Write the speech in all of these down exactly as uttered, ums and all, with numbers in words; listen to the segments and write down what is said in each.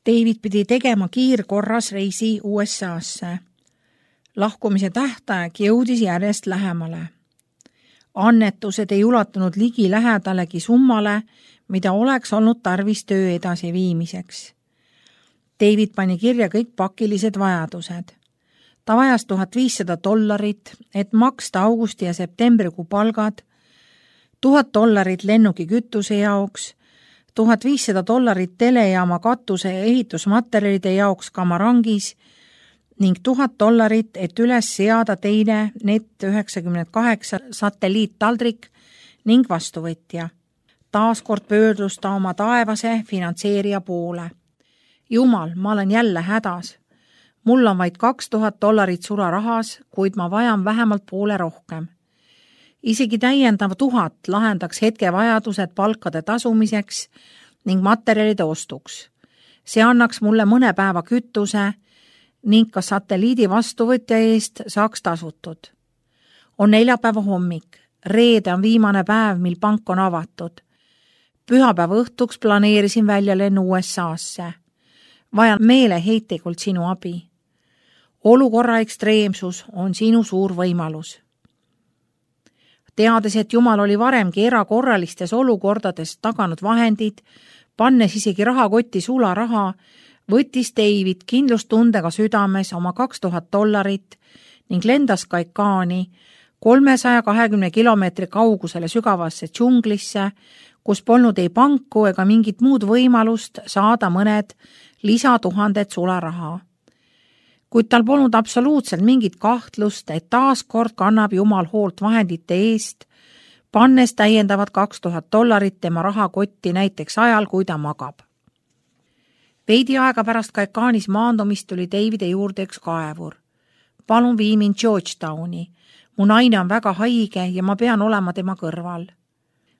David pidi tegema kiirkorras reisi U S A-sse. Lahkumise tähtaeg jõudis järjest lähemale. Annetused ei ulatunud ligi lähedalegi summale, mida oleks olnud tarvis töö edasiviimiseks. David pani kirja kõik pakilised vajadused. Ta vajas tuhat viissada dollarit, et maksta augusti ja septembrikuu palgad, tuhat dollarit lennuki kütuse jaoks, tuhat viissada dollarit telejaama katuse ja ehitusmaterjalide jaoks Kamarangis ning tuhat dollarit, et üles seada teine Net üheksakümmend kaheksa satelliittaldrik ning vastuvõtja. Taaskord pöördus ta oma taevase finantseerija poole. Jumal, ma olen jälle hädas. Mul on vaid kaks tuhat dollarit sularahas, kuid ma vajan vähemalt poole rohkem. Isegi täiendav tuhat lahendaks hetke vajadused palkade tasumiseks ning materjalide ostuks. See annaks mulle mõne päeva kütuse ning ka satelliidi vastuvõtja eest saaks tasutud. On neljapäeva hommik, reede on viimane päev, mil pank on avatud. Pühapäeva õhtuks planeerisin välja lennu U S A-sse. Vajan meeleheitlikult sinu abi. Olukorra ekstreemsus on sinu suur võimalus. Teades, et Jumal oli varemgi erakorralistes olukordades taganud vahendid, pannes isegi rahakotti sularaha, võttis David kindlustundega südames oma kaks tuhat dollarit ning lendas Kaikaani kolmesaja kahekümne kilomeetri kaugusele sügavasse džunglisse, kus polnud ei panku ega mingit muud võimalust saada mõned lisatuhanded sularaha. Kuid tal polnud absoluutselt mingit kahtlust, et taaskord kannab Jumal hoolt vahendite eest, pannes täiendavad kaks tuhat dollarit tema rahakotti näiteks ajal, kui ta magab. Veidi aega pärast Kaikaanis maandumist tuli Davide juurde üks kaevur. Palun vii mind Georgetowni. Mu naine on väga haige ja ma pean olema tema kõrval.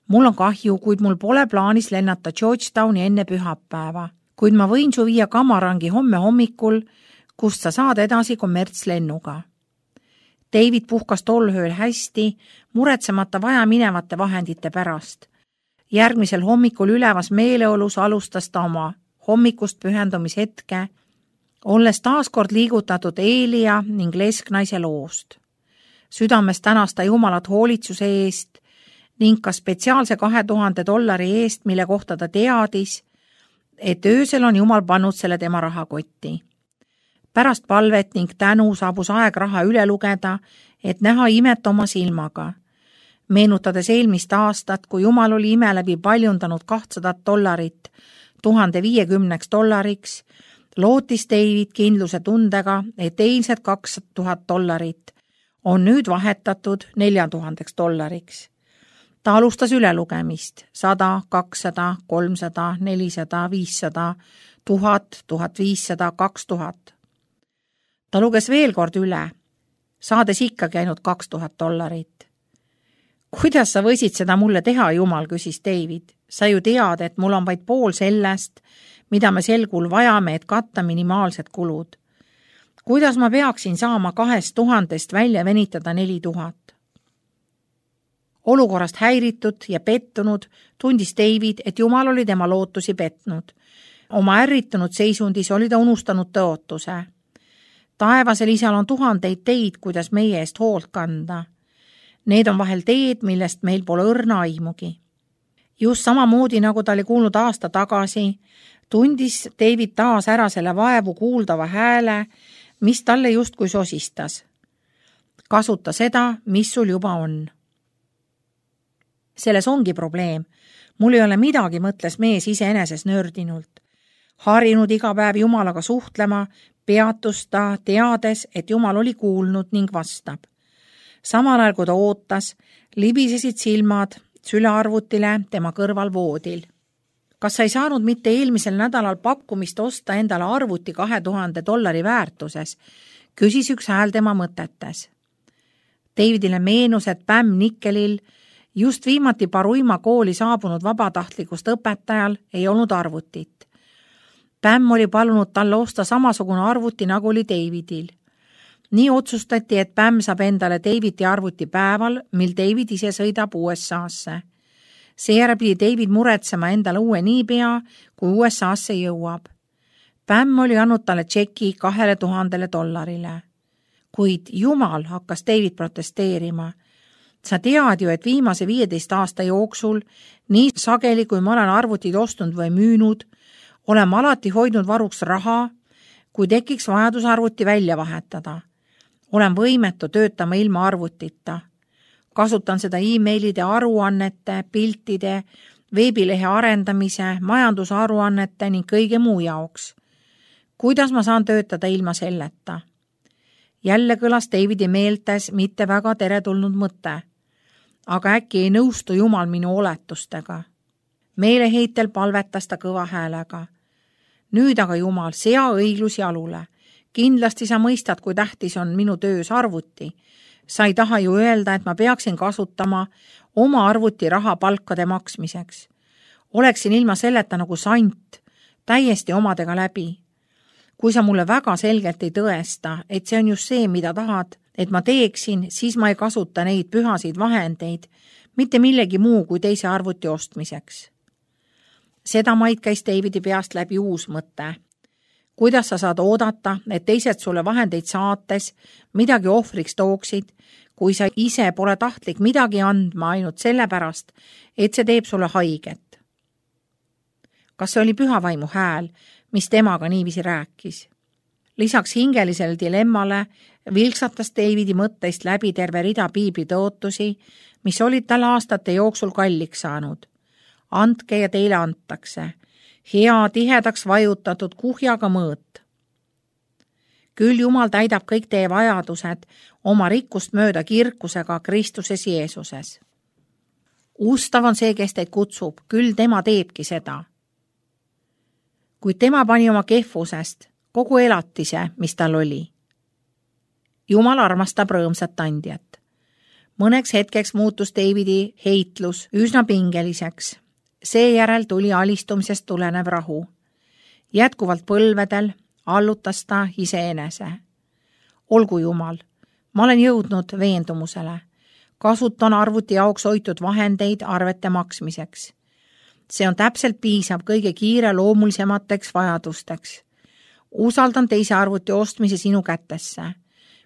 Mul on kahju, kuid mul pole plaanis lennata Georgetowni enne pühapäeva, kuid ma võin su viia Kamarangi homme hommikul, kust sa saad edasi kommertslennuga. David puhkas tol ööl hästi, muretsemata vaja minevate vahendite pärast. Järgmisel hommikul ülevas meeleolus alustas ta oma hommikust pühendumishetke, olles taaskord liigutatud Eelia ning lesknaise loost. Südames tänas ta Jumalat hoolitsuse eest ning ka spetsiaalse kahe tuhande dollari eest, mille kohta ta teadis, et öösel on Jumal pannud selle tema rahakotti. Pärast palvet ning tänu saabus aeg raha üle lugeda, et näha imet oma silmaga. Meenutades eelmist aastat, kui Jumal oli ime läbi paljundanud kahtsadat dollarit tuhande viiekümneks dollariks, lootis David kindluse tundega, et eilsed kaks tuhat dollarit on nüüd vahetatud nelja tuhandeks dollariks. Ta alustas ülelugemist sada, kakssada, kolmsada, nelisada, viissada, tuhat, tuhat viissada, kaks tuhat. Ta luges veel kord üle, saades ikkagi ainult kaks tuhat dollarit. Kuidas sa võisid seda mulle teha, Jumal, küsis David. Sa ju tead, et mul on vaid pool sellest, mida me sel kuul vajame, et katta minimaalsed kulud. Kuidas ma peaksin saama kahest tuhandest välja venitada neli tuhat? Olukorrast häiritud ja pettunud tundis David, et Jumal oli tema lootusi petnud. Oma ärritunud seisundis oli ta unustanud tõotuse. Taevasel isal on tuhandeid teid, kuidas meie eest hoolt kanda. Need on vahel teed, millest meil pole õrna aimugi. Just samamoodi, nagu ta oli kuulnud aasta tagasi, tundis David taas ära selle vaevu kuuldava hääle, mis talle justkui sosistas. Kasuta seda, mis sul juba on. Selles ongi probleem. Mul ei ole midagi, mõtles mees iseeneses nördinult. Harinud iga päev Jumalaga suhtlema, peatus ta teades, et Jumal oli kuulnud ning vastab. Samal ajal, kui ta ootas, libisesid silmad sülearvutile tema kõrval voodil. Kas sa ei saanud mitte eelmisel nädalal pakkumist osta endale arvuti kahe tuhande dollari väärtuses, küsis üks hääl tema mõtetes. Davidile meenus, et Pam Nickelil, just viimati Paruima kooli saabunud vabatahtlikust õpetajal, ei olnud arvutit. Pam oli palunud talle osta samasugune arvuti, nagu oli Davidil. Nii otsustati, et Pam saab endale Davidi arvuti päeval, mil David ise sõidab U S A-sse. Seejärel pidi David muretsema endale uue niipea, kui U S A-sse jõuab. Pämm oli andnud talle tšeki kahele tuhandele dollarile. Kuid Jumal, hakkas David protesteerima. Sa tead ju, et viimase viieteist aasta jooksul, nii sageli kui ma olen arvutid ostnud või müünud, olen ma alati hoidnud varuks raha, kui tekiks vajadus arvuti välja vahetada. Olen võimetu töötama ilma arvutita. Kasutan seda e-mailide, aruannete, piltide, veebilehe arendamise, majandusaruannete ning kõige muu jaoks. Kuidas ma saan töötada ilma selleta? Jälle kõlas Davidi meeltes mitte väga teretulnud mõte. Aga äkki ei nõustu Jumal minu oletustega. Meeleheitel palvetas ta kõva häälega. Nüüd aga Jumal, sea õiglus jalule. Kindlasti sa mõistad, kui tähtis on minu töös arvuti. Sa ei taha ju öelda, et ma peaksin kasutama oma arvuti raha palkade maksmiseks. Oleksin ilma selleta nagu sant, täiesti omadega läbi. Kui sa mulle väga selgelt ei tõesta, et see on just see, mida tahad, et ma teeksin, siis ma ei kasuta neid pühasid vahendeid, mitte millegi muu kui teise arvuti ostmiseks. Seda maid käis Davidi peast läbi uus mõte. Kuidas sa saad oodata, et teised sulle vahendeid saates midagi ohvriks tooksid, kui sa ise pole tahtlik midagi andma ainult sellepärast, et see teeb sulle haiget? Kas see oli pühavaimu hääl, mis temaga niiviisi rääkis? Lisaks hingelisele dilemmale vilksatas Davidi mõtteist läbi terve rida piibli tõotusi, mis olid tal aastate jooksul kalliks saanud. Andke ja teile antakse. Hea tihedaks vajutatud kuhjaga mõõt. Küll Jumal täidab kõik teie vajadused oma rikkust mööda kirkusega Kristuses Jeesuses. Ustav on see, kes teid kutsub, küll tema teebki seda. Kuid tema pani oma kehvusest kogu elatise, mis tal oli. Jumal armastab rõõmsat andjat. Mõneks hetkeks muutus Davidi heitlus üsna pingeliseks. Seejärel tuli alistumisest tulenev rahu. Jätkuvalt põlvedel allutas ta iseenese. Olgu Jumal, ma olen jõudnud veendumusele. Kasutan arvuti jaoks hoitud vahendeid arvete maksmiseks. See on täpselt piisav kõige kiire loomulisemateks vajadusteks. Usaldan teise arvuti ostmise sinu kätesse.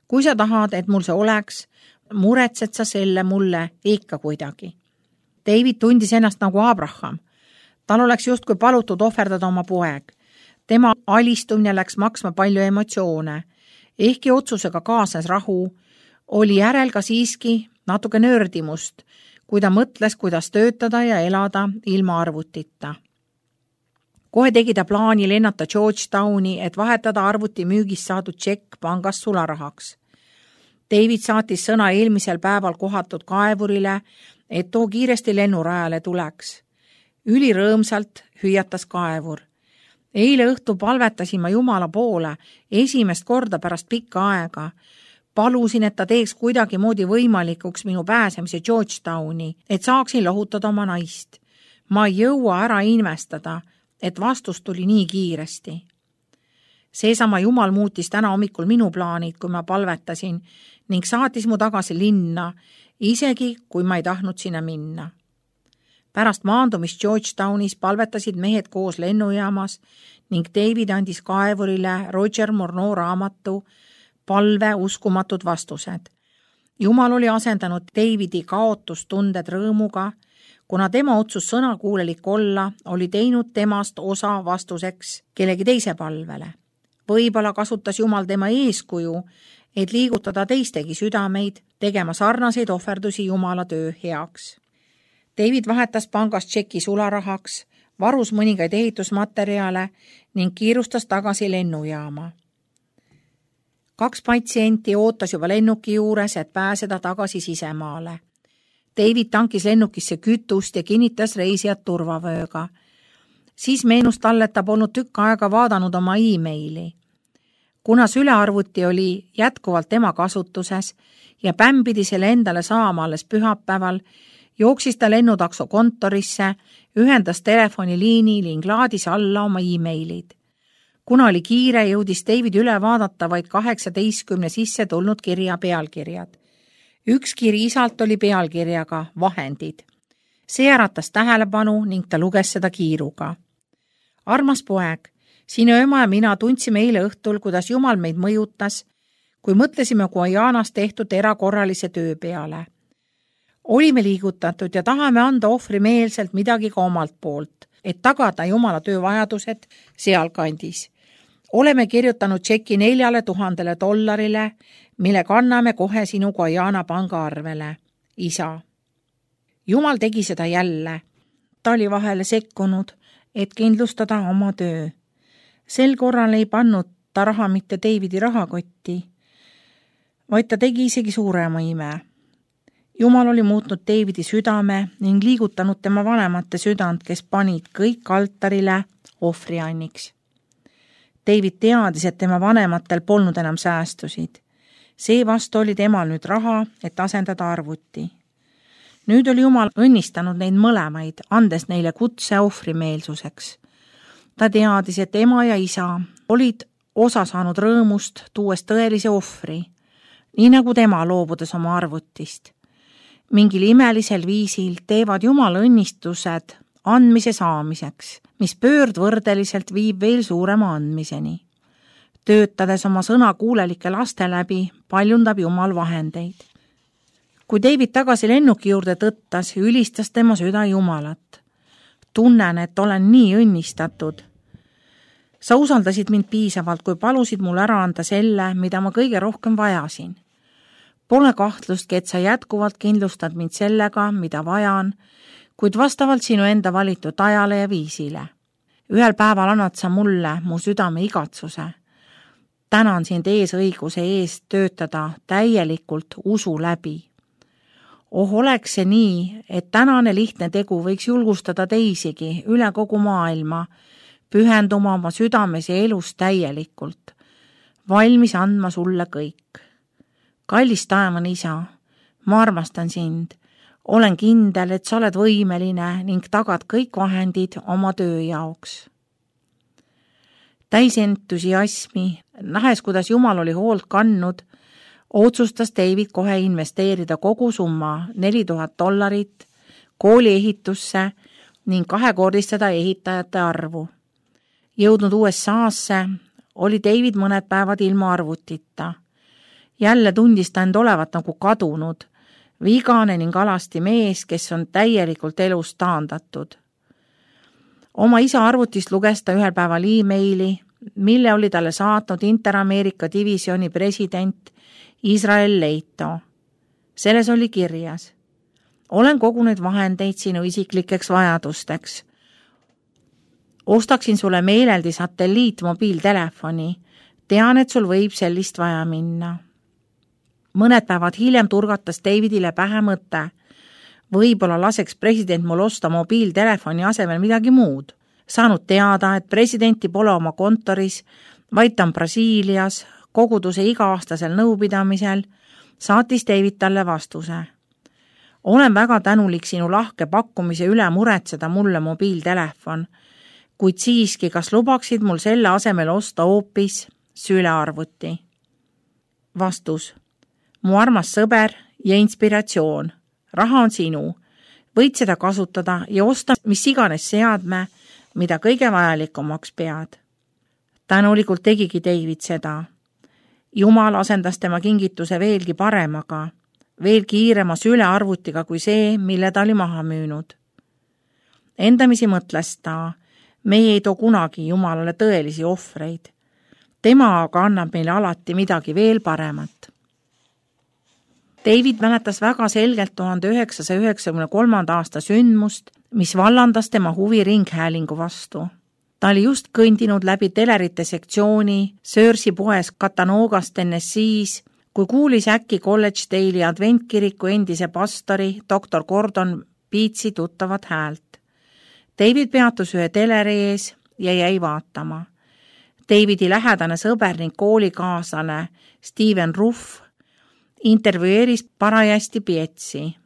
Kui sa tahad, et mul see oleks, muretsed sa selle mulle ikka kuidagi. David tundis ennast nagu Abraham. Tal oleks justkui palutud ohverdada oma poeg. Tema alistumine läks maksma palju emotsioone. Ehkki otsusega kaasnes rahu, oli järel ka siiski natuke nördimust, kui ta mõtles, kuidas töötada ja elada ilma arvutita. Kohe tegi ta plaani lennata Georgetowni, et vahetada arvuti müügist saadud tšekk pangast sularahaks. David saatis sõna eelmisel päeval kohatud kaevurile, et too kiiresti lennurajale tuleks. Ülirõõmsalt hüüatas kaevur. Eile õhtu palvetasin ma Jumala poole esimest korda pärast pikka aega. Palusin, et ta teeks kuidagi moodi võimalikuks minu pääsemise Georgetowni, et saaksin lohutada oma naist. Ma ei jõua ära investada, et vastus tuli nii kiiresti. Seesama Jumal muutis täna hommikul minu plaanid, kui ma palvetasin, ning saatis mu tagasi linna, isegi kui ma ei tahtnud sinna minna. Pärast maandumist Georgetownis palvetasid mehed koos lennujaamas ning David andis kaevurile Roger Morneau raamatu Palve uskumatud vastused. Jumal oli asendanud Davidi kaotustunded rõõmuga, kuna tema otsus sõnakuulelik olla oli teinud temast osa vastuseks kellegi teise palvele. Võib-olla kasutas Jumal tema eeskuju, et liigutada teistegi südameid, tegema sarnaseid ohverdusi Jumala töö heaks. David vahetas pangast tšeki sularahaks, varus mõningaid ehitusmaterjale ning kiirustas tagasi lennujaama. Kaks patsienti ootas juba lennuki juures, et pääseda tagasi sisemaale. David tankis lennukisse kütust ja kinnitas reisijad turvavööga. Siis meenus talle, et ta polnud tükk aega vaadanud oma e-maili. Kuna sülearvuti oli jätkuvalt tema kasutuses ja Pämm pidi selle endale saama alles pühapäeval, jooksis ta lennutakso kontorisse, ühendas telefoniliini ning laadis alla oma e-mailid. Kuna oli kiire, jõudis David üle vaadata vaid kaheksateistkümne sisse tulnud kirja pealkirjad. Üks kiri isalt oli pealkirjaga vahendid. See äratas tähelepanu ning ta luges seda kiiruga. Armas poeg, sinu ema ja mina tundsime eile õhtul, kuidas Jumal meid mõjutas, kui mõtlesime Guajanas tehtud erakorralise töö peale. Olime liigutatud ja tahame anda ohvrimeelselt midagi ka omalt poolt, et tagada Jumala töövajadused sealkandis. Oleme kirjutanud tšeki neljale tuhandele dollarile, mille kanname kohe sinu Guajana pangaarvele. Isa. Jumal tegi seda jälle. Ta oli vahele sekkunud, et kindlustada oma töö. Sel korral ei pannud ta raha mitte Davidi rahakotti, vaid ta tegi isegi suurema ime. Jumal oli muutnud Davidi südame ning liigutanud tema vanemate südant, kes panid kõik altarile ohvrianniks. David teadis, et tema vanematel polnud enam säästusid. Seevastu oli temal nüüd raha, et asendada arvuti. Nüüd oli Jumal õnnistanud neid mõlemaid, andes neile kutse ohvrimeelsuseks. Ta teadis, et ema ja isa olid osa saanud rõõmust, tuues tõelise ohvri, nii nagu tema loobudes oma arvutist. Mingil imelisel viisil teevad Jumal õnnistused andmise saamiseks, mis pöördvõrdeliselt viib veel suurema andmiseni. Töötades oma sõna kuulelike laste läbi, paljundab Jumal vahendeid. Kui David tagasi lennuki juurde tõttas, ülistas tema süda Jumalat. Tunnen, et olen nii õnnistatud. Sa usaldasid mind piisavalt, kui palusid mul ära anda selle, mida ma kõige rohkem vajasin. Pole kahtlustki, et sa jätkuvalt kindlustad mind sellega, mida vajan, kuid vastavalt sinu enda valitud ajale ja viisile. Ühel päeval annad sa mulle mu südame igatsuse. Tänan sind ees õiguse eest töötada täielikult usu läbi. Oh, oleks see nii, et tänane lihtne tegu võiks julgustada teisigi üle kogu maailma, pühenduma oma südames ja elus täielikult, valmis andma sulle kõik. Kallis taevane isa, ma armastan sind, olen kindel, et sa oled võimeline ning tagad kõik vahendid oma töö jaoks. Täis entusiasmi, nähes, kuidas Jumal oli hoolt kandnud, otsustas David kohe investeerida kogu summa neli tuhat dollarit kooli ehitusse ning kahekordistada ehitajate arvu. Jõudnud U S A-sse oli David mõned päevad ilma arvutita. Jälle tundis ta end olevat nagu kadunud, vigane ning alasti mees, kes on täielikult elust taandatud. Oma isa arvutist luges ta ühel päeval e-maili, mille oli talle saatnud Inter-Ameerika divisjoni president Israel Leito. Selles oli kirjas: olen kogunud vahendeid sinu isiklikeks vajadusteks. Ostaksin sulle meeleldi satelliitmobiiltelefoni. Tean, et sul võib sellist vaja minna. Mõned päevad hiljem turgatas Davidile pähe mõte. Võib-olla laseks president mul osta mobiiltelefoni asemel midagi muud. Saanud teada, et presidenti pole oma kontoris, vaid ta on Brasiilias, koguduse iga-aastasel nõupidamisel, saatis David talle vastuse. Olen väga tänulik sinu lahke pakkumise üle muretseda mulle mobiiltelefon, kuid siiski, kas lubaksid mul selle asemel osta hoopis sülearvuti? Vastus. Mu armas sõber ja inspiratsioon. Raha on sinu. Võid seda kasutada ja osta mis iganes seadme, mida kõige vajalikumaks pead. Tänulikult tegigi David seda. Jumal asendas tema kingituse veelgi paremaga, veel kiirema sülearvutiga kui see, mille ta oli maha müünud. Endamisi mõtles ta, meie ei too kunagi Jumalale tõelisi ohvreid. Tema aga annab meile alati midagi veel paremat. David mäletas väga selgelt tuhande üheksasaja üheksakümne kolmanda aasta sündmust, mis vallandas tema huvi ringhäälingu vastu. Ta oli just kõndinud läbi telerite sektsiooni Searsi poes Cattanoogas Tennessee's, kui kuulis äkki Collegedale'i adventkiriku endise pastori doktor Gordon Beatsi tuttavat häält. David peatus ühe teleri ees ja jäi vaatama. Davidi lähedane sõber ning koolikaaslane Steven Ruff intervjueeris parajasti Pietsi.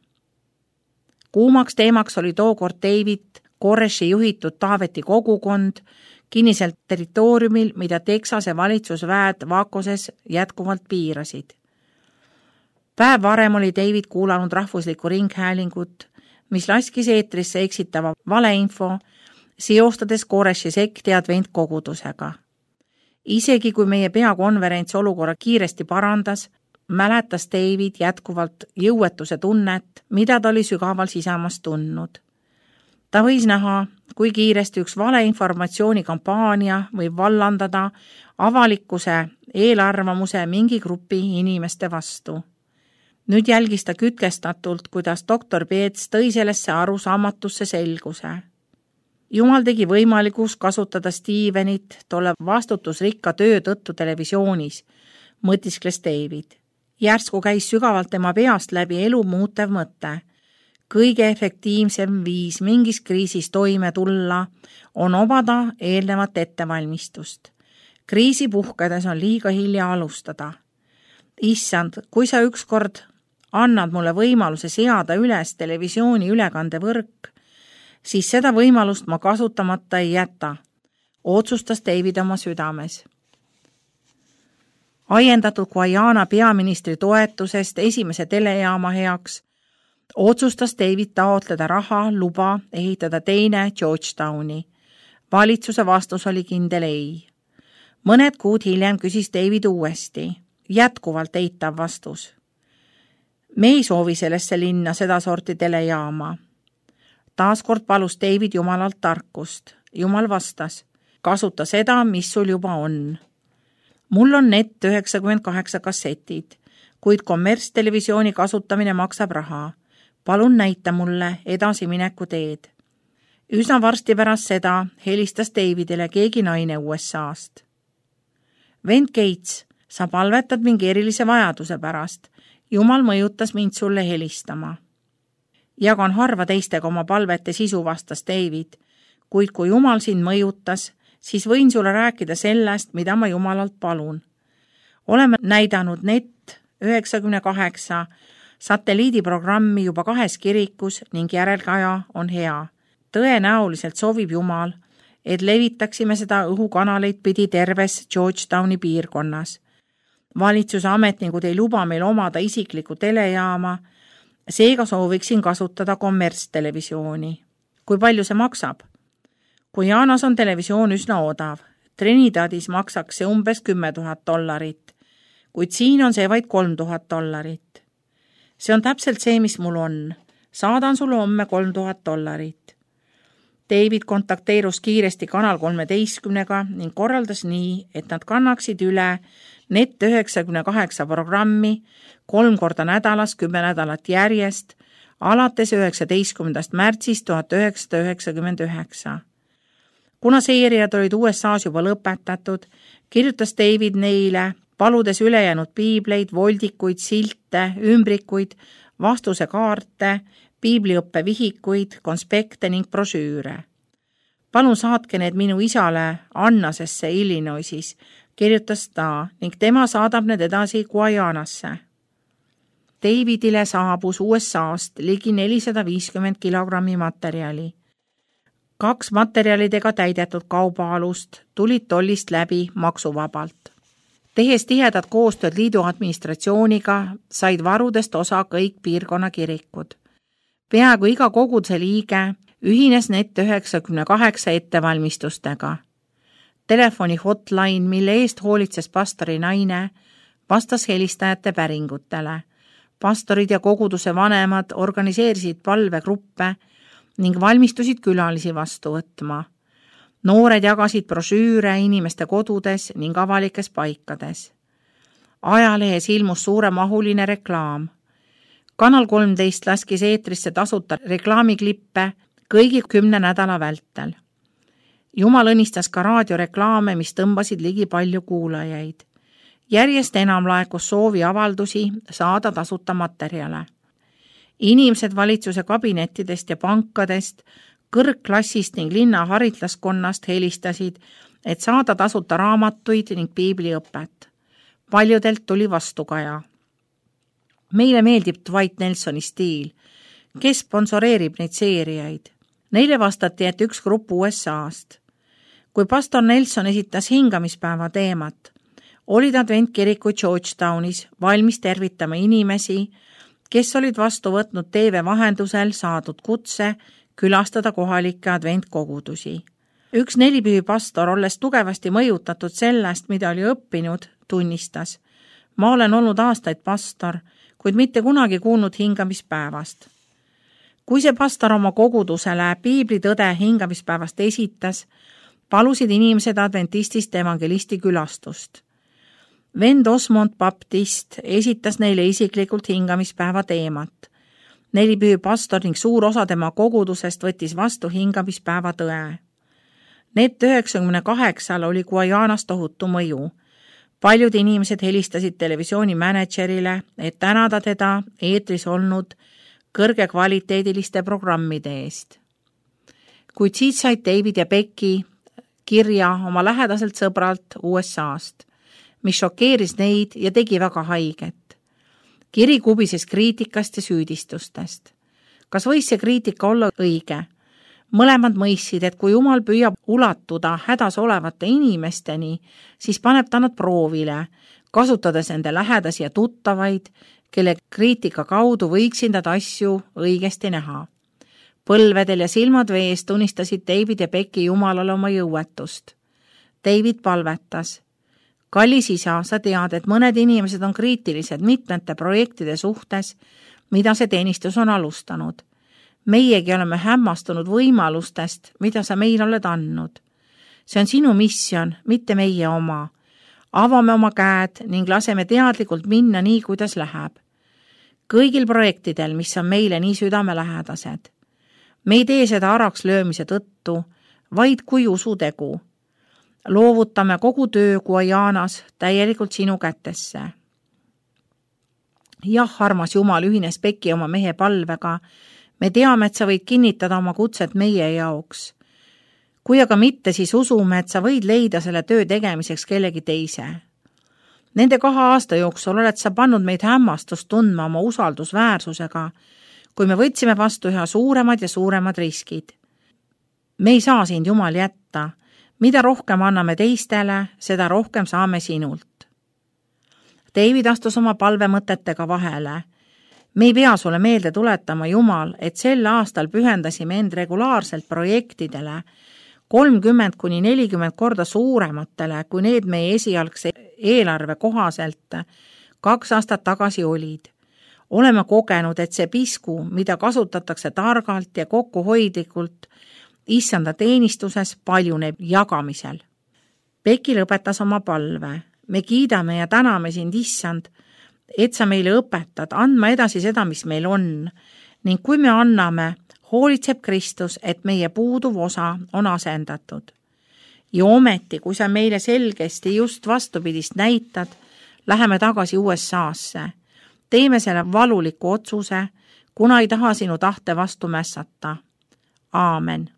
Kuumaks teemaks oli tookord David Koreshi juhitud Taaveti kogukond kinniselt territooriumil, mida Texase valitsusväed Vacoses jätkuvalt piirasid. Päev varem oli David kuulanud rahvuslikku ringhäälingut, mis laskis eetrisse eksitava valeinfo, seostades Koreshi sekti adventkogudusega. Isegi kui meie peakonverents olukorra kiiresti parandas, mäletas David jätkuvalt jõuetuse tunnet, mida ta oli sügaval sisemas tundnud. Ta võis näha, kui kiiresti üks valeinformatsiooni kampaania võib vallandada avalikkuse eelarvamuse mingi grupi inimeste vastu. Nüüd jälgis ta kütkestatult, kuidas doktor Peets tõi sellesse arusaamatusse selguse. Jumal tegi võimalikuks kasutada Stevenit tolle vastutusrikka töö tõttu televisioonis, mõtiskles David. Järsku käis sügavalt tema peast läbi elu muutev mõte. Kõige efektiivsem viis mingis kriisis toime tulla on obada eelnevat ettevalmistust. Kriisi puhkedes on liiga hilja alustada. Issand, kui sa ükskord annad mulle võimaluse seada üles televisiooni ülekandevõrk, siis seda võimalust ma kasutamata ei jäta, otsustas David oma südames. Aiendatud Guyana peaministri toetusest esimese telejaama heaks, otsustas David taotleda raha luba ehitada teine Georgetowni. Valitsuse vastus oli kindel ei. Mõned kuud hiljem küsis David uuesti, jätkuvalt eitav vastus. Me ei soovi sellesse linna seda sorti telejaama. Taaskord palus David Jumalalt tarkust. Jumal vastas, kasuta seda, mis sul juba on. Mul on net üheksakümmend kaheksa kassetid, kuid kommertstelevisiooni kasutamine maksab raha. Palun näita mulle edasimineku teed. Üsna varsti pärast seda helistas Davidile keegi naine U S A-st. Vend Gates, sa palvetad mingi erilise vajaduse pärast. Jumal mõjutas mind sulle helistama. Jagan harva teistega oma palvete sisu, vastas David, kuid kui Jumal sind mõjutas, siis võin sulle rääkida sellest, mida ma Jumalalt palun. Oleme näidanud net üheksakümmend kaheksa satelliidiprogrammi juba kahes kirikus ning järelkaja on hea. Tõenäoliselt soovib Jumal, et levitaksime seda õhukanaleid pidi terves Georgetowni piirkonnas. Valitsuse ametnikud ei luba meil omada isiklikku telejaama, seega sooviksin kasutada kommertstelevisiooni. Kui palju see maksab? Guyanas on televisioon üsna odav. Trinidadis maksaks see umbes kümme tuhat dollarit, kuid siin on see vaid kolm tuhat dollarit. See on täpselt see, mis mul on. Saadan sulle homme kolm tuhat dollarit. David kontakteerus kiiresti kanal kolmeteistkümnega ning korraldas nii, et nad kannaksid üle net üheksakümmend kaheksa programmi kolm korda nädalas, kümme nädalat järjest, alates üheksateistkümnendast märtsist tuhat üheksasada üheksakümmend üheksa. Kuna seeriad olid U S A-s juba lõpetatud, kirjutas David neile, paludes ülejäänud piibleid, voldikuid, silte, ümbrikuid, vastusekaarte, piibliõppe vihikuid, konspekte ning brošüüre. Palun saatke need minu isale Annasesse Illinoisis, kirjutas ta ning tema saadab need edasi Guyanasse. Davidile saabus U S A-st ligi nelisada viiskümmend kilogrammi materjali. Kaks materjalidega täidetud kaubaalust tulid tollist läbi maksuvabalt. Tehes tihedat koostööd liidu administratsiooniga, said varudest osa kõik piirkonna kirikud. Peaaegu iga koguduse liige ühines net üheksakümmend kaheksa ettevalmistustega. Telefoni hotline, mille eest hoolitses pastori naine, vastas helistajate päringutele. Pastorid ja koguduse vanemad organiseerisid palvegruppe ning valmistusid külalisi vastu võtma. Noored jagasid brošüüre inimeste kodudes ning avalikes paikades. Ajalehes ilmus suuremahuline reklaam. Kanal kolmteist laskis eetrisse tasuta reklaamiklippe kõigi kümne nädala vältel. Jumal õnnistas ka raadioreklaame, mis tõmbasid ligi palju kuulajaid. Järjest enam laekus soovi avaldusi saada tasuta materjale. Inimesed valitsuse kabinettidest ja pankadest, kõrgklassist ning linna haritlaskonnast helistasid, et saada tasuta raamatuid ning piibliõpet. Paljudelt tuli vastukaja. Meile meeldib Dwight Nelsoni stiil. Kes sponsoreerib neid seeriaid? Neile vastati, et üks grupp U S A-st. Kui pastor Nelson esitas hingamispäeva teemat, olid adventkirikud Georgetownis valmis tervitama inimesi, kes olid vastu võtnud T V vahendusel saadud kutse külastada kohalikke adventkogudusi. Üks nelipühipastor, olles tugevasti mõjutatud sellest, mida oli õppinud, tunnistas: ma olen olnud aastaid pastor, kuid mitte kunagi kuulnud hingamispäevast. Kui see pastor oma kogudusele piiblitõde hingamispäevast esitas, palusid inimesed adventistist evangelisti külastust. Vend Osmond Baptist esitas neile isiklikult hingamispäeva teemat. Nelipühi pastor ning suur osa tema kogudusest võttis vastu hingamispäeva tõe. Need üheksakümne kaheksal oli Guajanas tohutu mõju. Paljud inimesed helistasid televisiooni mänedžerile, et tänada teda eetris olnud kõrge kvaliteediliste programmide eest. Kuid siit said David ja Becky kirja oma lähedaselt sõbralt U S A-st, mis šokeeris neid ja tegi väga haiget. Kiri kubises kriitikast ja süüdistustest. Kas võis see kriitika olla õige? Mõlemad mõistsid, et kui Jumal püüab ulatuda hädas olevate inimesteni, siis paneb ta nad proovile, kasutades nende lähedasi ja tuttavaid, kelle kriitika kaudu võiksid nad asju õigesti näha. Põlvedel ja silmad vees tunnistasid David ja Becky Jumalale oma jõuetust. David palvetas: kallis isa, sa tead, et mõned inimesed on kriitilised mitmete projektide suhtes, mida see teenistus on alustanud. Meiegi oleme hämmastunud võimalustest, mida sa meile oled andnud. See on sinu missioon, mitte meie oma. Avame oma käed ning laseme teadlikult minna nii, kuidas läheb. Kõigil projektidel, mis on meile nii südamelähedased. Me ei tee seda araks löömise tõttu, vaid kui usutegu. Loovutame kogu töö Guajanas täielikult sinu kätesse. Jah, armas Jumal, ühines Becky oma mehe palvega. Me teame, et sa võid kinnitada oma kutset meie jaoks. Kui aga mitte, siis usume, et sa võid leida selle töö tegemiseks kellegi teise. Nende kahe aasta jooksul oled sa pannud meid hämmastust tundma oma usaldusväärsusega, kui me võtsime vastu üha suuremad ja suuremad riskid. Me ei saa sind, Jumal, jätta. Mida rohkem anname teistele, seda rohkem saame sinult. David astus oma palvemõtetega vahele. Me ei pea sulle meelde tuletama, Jumal, et sel aastal pühendasime end regulaarselt projektidele kolmkümmend kuni nelikümmend korda suurematele, kui need meie esialgse eelarve kohaselt kaks aastat tagasi olid. Oleme kogenud, et see pisku, mida kasutatakse targalt ja kokkuhoidlikult issanda teenistuses, paljuneb jagamisel. Becky lõpetas oma palve. Me kiidame ja täname sind, issand, et sa meile õpetad andma edasi seda, mis meil on, ning kui me anname, hoolitseb Kristus, et meie puuduv osa on asendatud. Ja ometi, kui sa meile selgesti just vastupidist näitad, läheme tagasi U S A-sse. Teeme selle valuliku otsuse, kuna ei taha sinu tahte vastu mässata. Aamen.